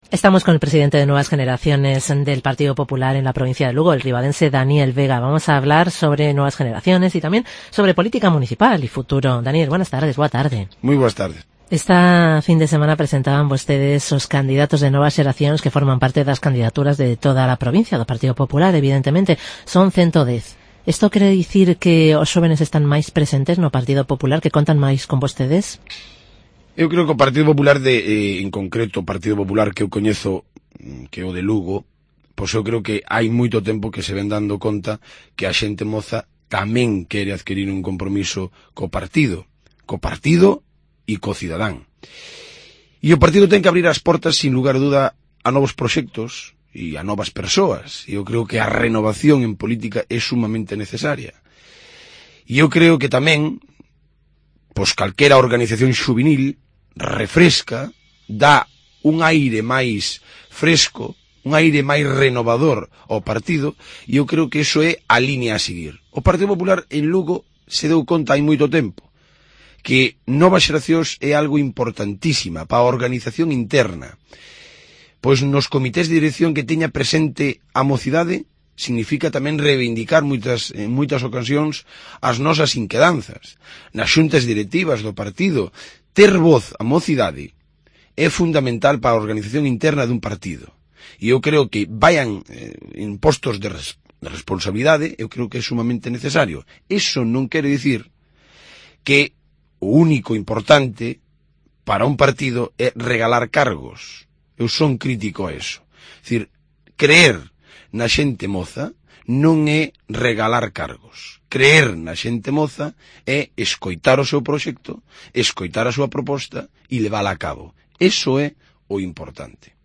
Estamos con el presidente de Nuevas Generaciones del Partido Popular en la provincia de Lugo, el ribadense Daniel Vega. Vamos a hablar sobre nuevas generaciones y también sobre política municipal y futuro. Daniel, buenas tardes, boa tarde. Muy buenas tardes. Esta fin de semana presentaban vostedes os candidatos de Novas Xeracións que forman parte das candidaturas de toda a provincia do Partido Popular, evidentemente. Son 110. Isto quere dicir que os xóvenes están máis presentes no Partido Popular, que contan máis con vostedes? Eu creo que o Partido Popular, en concreto o Partido Popular que eu coñezo, que é o de Lugo, pois eu creo que hai moito tempo que se ven dando conta que a xente moza tamén quere adquirir un compromiso co partido e co cidadán. E o partido ten que abrir as portas, sin lugar a duda, a novos proxectos e a novas persoas. E eu creo que a renovación en política é sumamente necesaria. E eu creo que tamén, pois calquera organización xuvenil refresca, dá un aire máis fresco, un aire máis renovador ao partido, e eu creo que iso é a línea a seguir. O Partido Popular en Lugo se deu conta hai moito tempo que Novas Xeracións é algo importantísima para a organización interna, pois nos comités de dirección que teña presente a mocidade significa tamén reivindicar en moitas ocasións as nosas inquedanzas. Nas xuntas directivas do partido, ter voz a mocidade é fundamental para a organización interna dun partido. E eu creo que vayan en postos de responsabilidade, eu creo que é sumamente necesario. Iso non quere dicir que o único importante para un partido é regalar cargos. Eu son crítico a eso. É dicir, creer na xente moza non é regalar cargos. Creer na xente moza é escoitar o seu proxecto, escoitar a súa proposta e levala a cabo. Eso é o importante.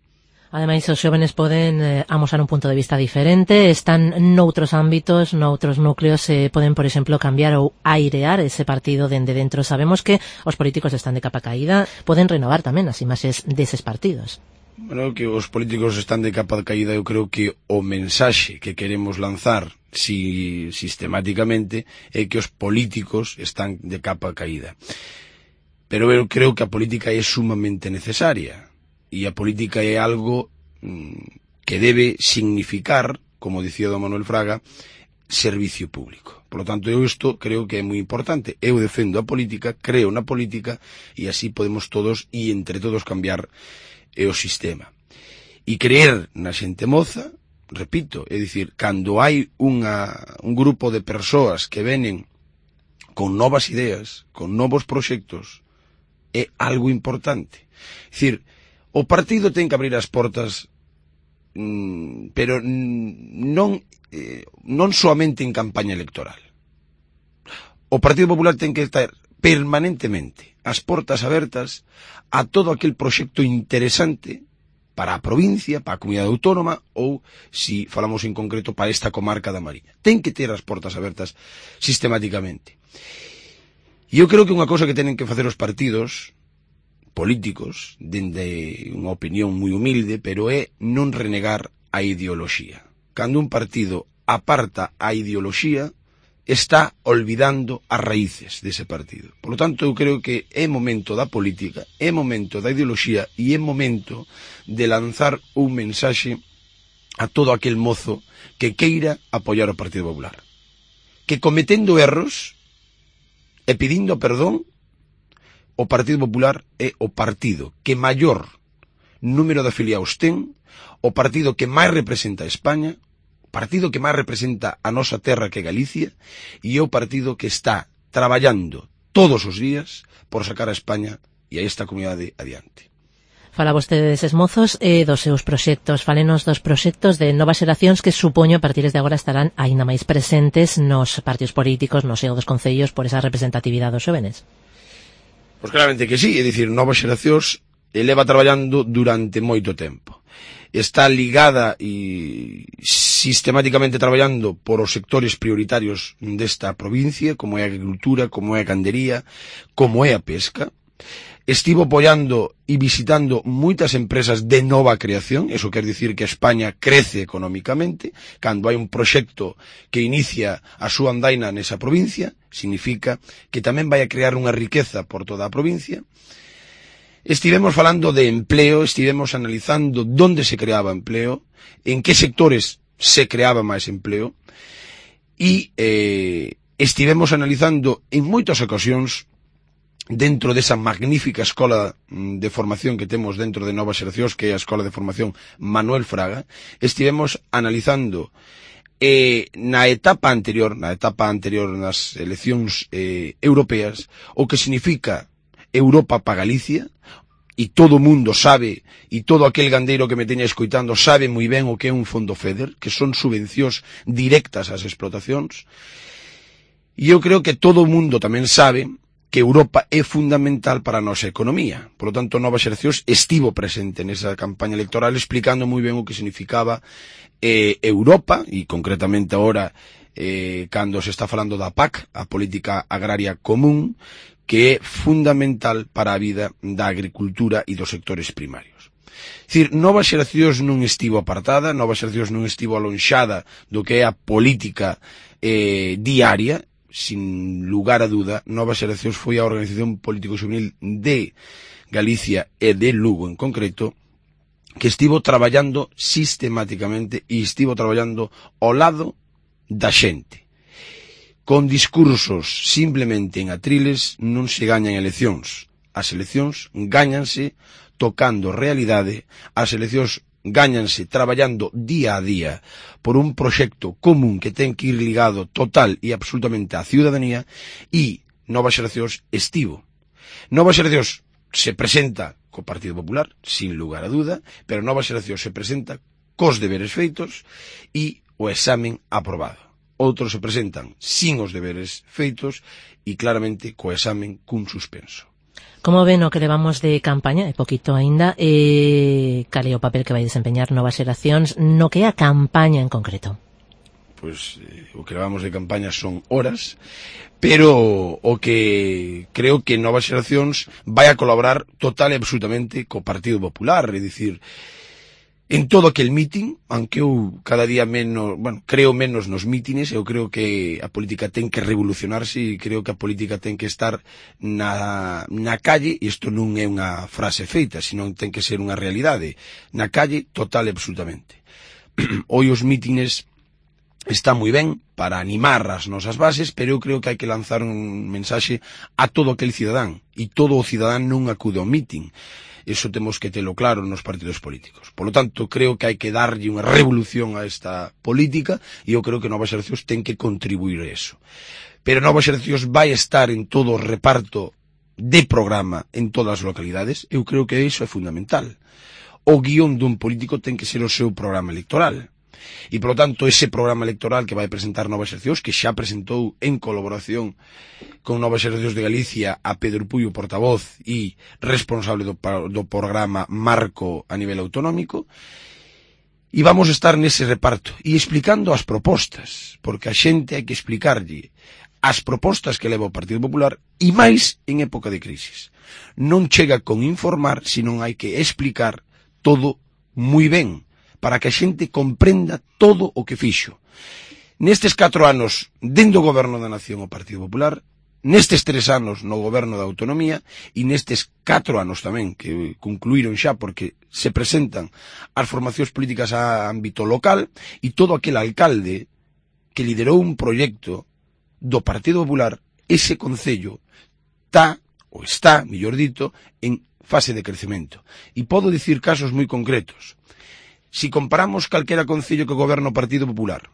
Ademais, os xóvenes poden amosar un punto de vista diferente, están noutros ámbitos, noutros núcleos, poden, por exemplo, cambiar ou airear ese partido dende dentro. Sabemos que os políticos están de capa caída, poden renovar tamén as imaxes deses partidos. Bueno, que os políticos están de capa caída, eu creo que o mensaxe que queremos lanzar sistemáticamente é que os políticos están de capa caída. Pero eu creo que a política é sumamente necesaria. E a política é algo que debe significar, como dicía don Manuel Fraga, servicio público. Por lo tanto, eu isto creo que é moi importante. Eu defendo a política, creo na política, e así podemos todos, e entre todos, cambiar o sistema. E creer na xente moza, repito, é dicir, cando hai un grupo de persoas que venen con novas ideas, con novos proxectos, é algo importante. É dicir, o partido ten que abrir as portas, pero non soamente en campaña electoral. O Partido Popular ten que estar permanentemente as portas abertas a todo aquel proxecto interesante para a provincia, para a comunidade autónoma ou, si falamos en concreto, para esta comarca da Mariña. Ten que ter as portas abertas sistemáticamente. E eu creo que unha cousa que tenen que facer os partidos políticos, dende unha opinión moi humilde, pero é non renegar a ideoloxía. Cando un partido aparta a ideoloxía, está olvidando as raíces dese partido. Por lo tanto, eu creo que é momento da política, é momento da ideoloxía e é momento de lanzar un mensaxe a todo aquel mozo que queira apoiar o Partido Popular. Que cometendo erros e pedindo perdón, o Partido Popular é o partido que maior número de afiliados ten, o partido que máis representa a España, o partido que máis representa a nosa terra que é Galicia, e é o partido que está traballando todos os días por sacar a España e a esta comunidade adiante. Fala vostede deses mozos e dos seus proxectos. Fálenos dos proxectos de Novas Xeracións que supoño a partir de agora estarán aínda máis presentes nos partidos políticos, no seo dos concellos, por esa representatividade dos xóvenes. Pois claramente que sí, é dicir, Novas Xeracións leva traballando durante moito tempo. Está ligada e sistemáticamente traballando por os sectores prioritarios desta provincia, como é a agricultura, como é a gandería, como é a pesca. Estivo apoiando e visitando moitas empresas de nova creación, eso quer dicir que España crece económicamente, cando hai un proxecto que inicia a súa andaina nesa provincia, significa que tamén vai a crear unha riqueza por toda a provincia. Estivemos falando de empleo, estivemos analizando onde se creaba empleo, en que sectores se creaba máis empleo, e estivemos analizando en moitas ocasións, dentro desa magnífica escola de formación que temos dentro de Novas Xeracións, que é a Escola de Formación Manuel Fraga, estivemos analizando na etapa anterior nas eleccións europeas, o que significa Europa para Galicia, e todo o mundo sabe, e todo aquel gandeiro que me teña escoitando sabe moi ben o que é un fondo FEDER, que son subvencións directas ás explotacións, e eu creo que todo o mundo tamén sabe que Europa é fundamental para a nosa economía. Por lo tanto, Novas Xeracións estivo presente nesa campaña electoral explicando moi ben o que significaba Europa, e concretamente agora cando se está falando da PAC, a Política Agraria Común, que é fundamental para a vida da agricultura e dos sectores primarios. É dicir, Novas Xeracións non estivo apartada, Novas Xeracións non estivo alonxada do que é a política diaria. Sin lugar a duda, Novas Xeracións foi a organización político-xuvenil de Galicia e de Lugo en concreto, que estivo traballando sistemáticamente e estivo traballando ao lado da xente. Con discursos simplemente en atriles non se gañan eleccións. As eleccións gáñanse tocando realidade, as eleccións gáñanse traballando día a día por un proxecto común que ten que ir ligado total e absolutamente á ciudadanía, e Novas Xeracións estivo. Novas Xeracións se presenta co Partido Popular, sin lugar a duda, pero Novas Xeracións se presenta cos deberes feitos e o examen aprobado. Outros se presentan sin os deberes feitos e claramente co examen cun suspenso. Como ven o que levamos de campaña, é poquito aínda, cal é o papel que vai desempeñar Novas Xeracións no que é a campaña en concreto? Pois o que levamos de campaña son horas, pero o que creo que Novas Xeracións vai a colaborar total e absolutamente co Partido Popular, é dicir, en todo aquel mitin, aunque eu cada día menos, creo menos nos mítines, eu creo que a política ten que revolucionarse e creo que a política ten que estar na calle, e isto non é unha frase feita, senón ten que ser unha realidade, na calle total e absolutamente. Hoy os mítines está moi ben para animar as nosas bases, pero eu creo que hai que lanzar un mensaxe a todo aquel cidadán, e todo o cidadán non acude ao mitin. Eso temos que telo claro nos partidos políticos. Por lo tanto, creo que hai que darlle unha revolución a esta política, e eu creo que Novas Xeracións ten que contribuir a eso. Pero Novas Xeracións vai estar en todo o reparto de programa en todas as localidades. Eu creo que iso é fundamental. O guión dun político ten que ser o seu programa electoral. E, por lo tanto, ese programa electoral que vai presentar Novas Xeracións, que xa presentou en colaboración con Novas Xeracións de Galicia a Pedro Puyo, portavoz e responsable do programa Marco a nivel autonómico, e vamos a estar nese reparto e explicando as propostas, porque a xente hai que explicarlle as propostas que leva o Partido Popular, e máis en época de crisis. Non chega con informar, senón hai que explicar todo moi ben, para que a xente comprenda todo o que fixo. Nestes 4 anos, dentro do goberno da Nación o Partido Popular, nestes 3 anos no goberno da Autonomía, e nestes 4 anos tamén, que concluíron xa porque se presentan as formacións políticas a ámbito local, e todo aquel alcalde que liderou un proxecto do Partido Popular, ese concello está, mellor dito, en fase de crecemento. E podo dicir casos moi concretos. Si comparamos calquera concello que goberna o Partido Popular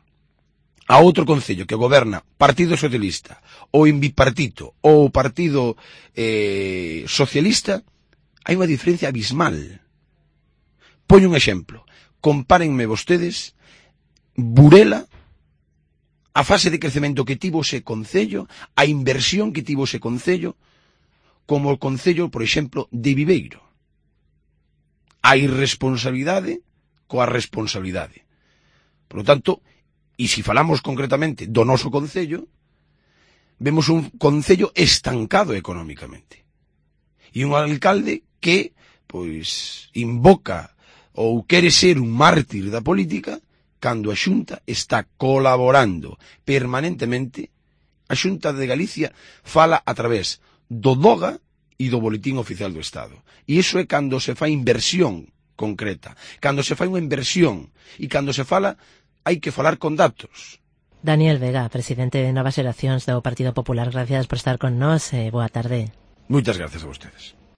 a outro concello que goberna Partido Socialista ou en bipartito ou Partido Socialista, hai unha diferencia abismal. Poño un exemplo. Compárenme vostedes Burela, a fase de crecemento que tivo ese concello, a inversión que tivo ese concello, como o concello, por exemplo, de Viveiro. A irresponsabilidade coa responsabilidade. Por lo tanto, e se falamos concretamente do noso concello, vemos un concello estancado económicamente. E un alcalde que, pois, invoca ou quere ser un mártir da política, cando a Xunta está colaborando permanentemente. A Xunta de Galicia fala a través do DOGA e do Boletín Oficial do Estado. E iso é cando se fai inversión concreta, cando se fai unha inversión e cando se fala, hai que falar con datos. Daniel Vega, presidente de Novas Xeracións do Partido Popular, gracias por estar con nós e boa tarde. Moitas gracias a vostedes.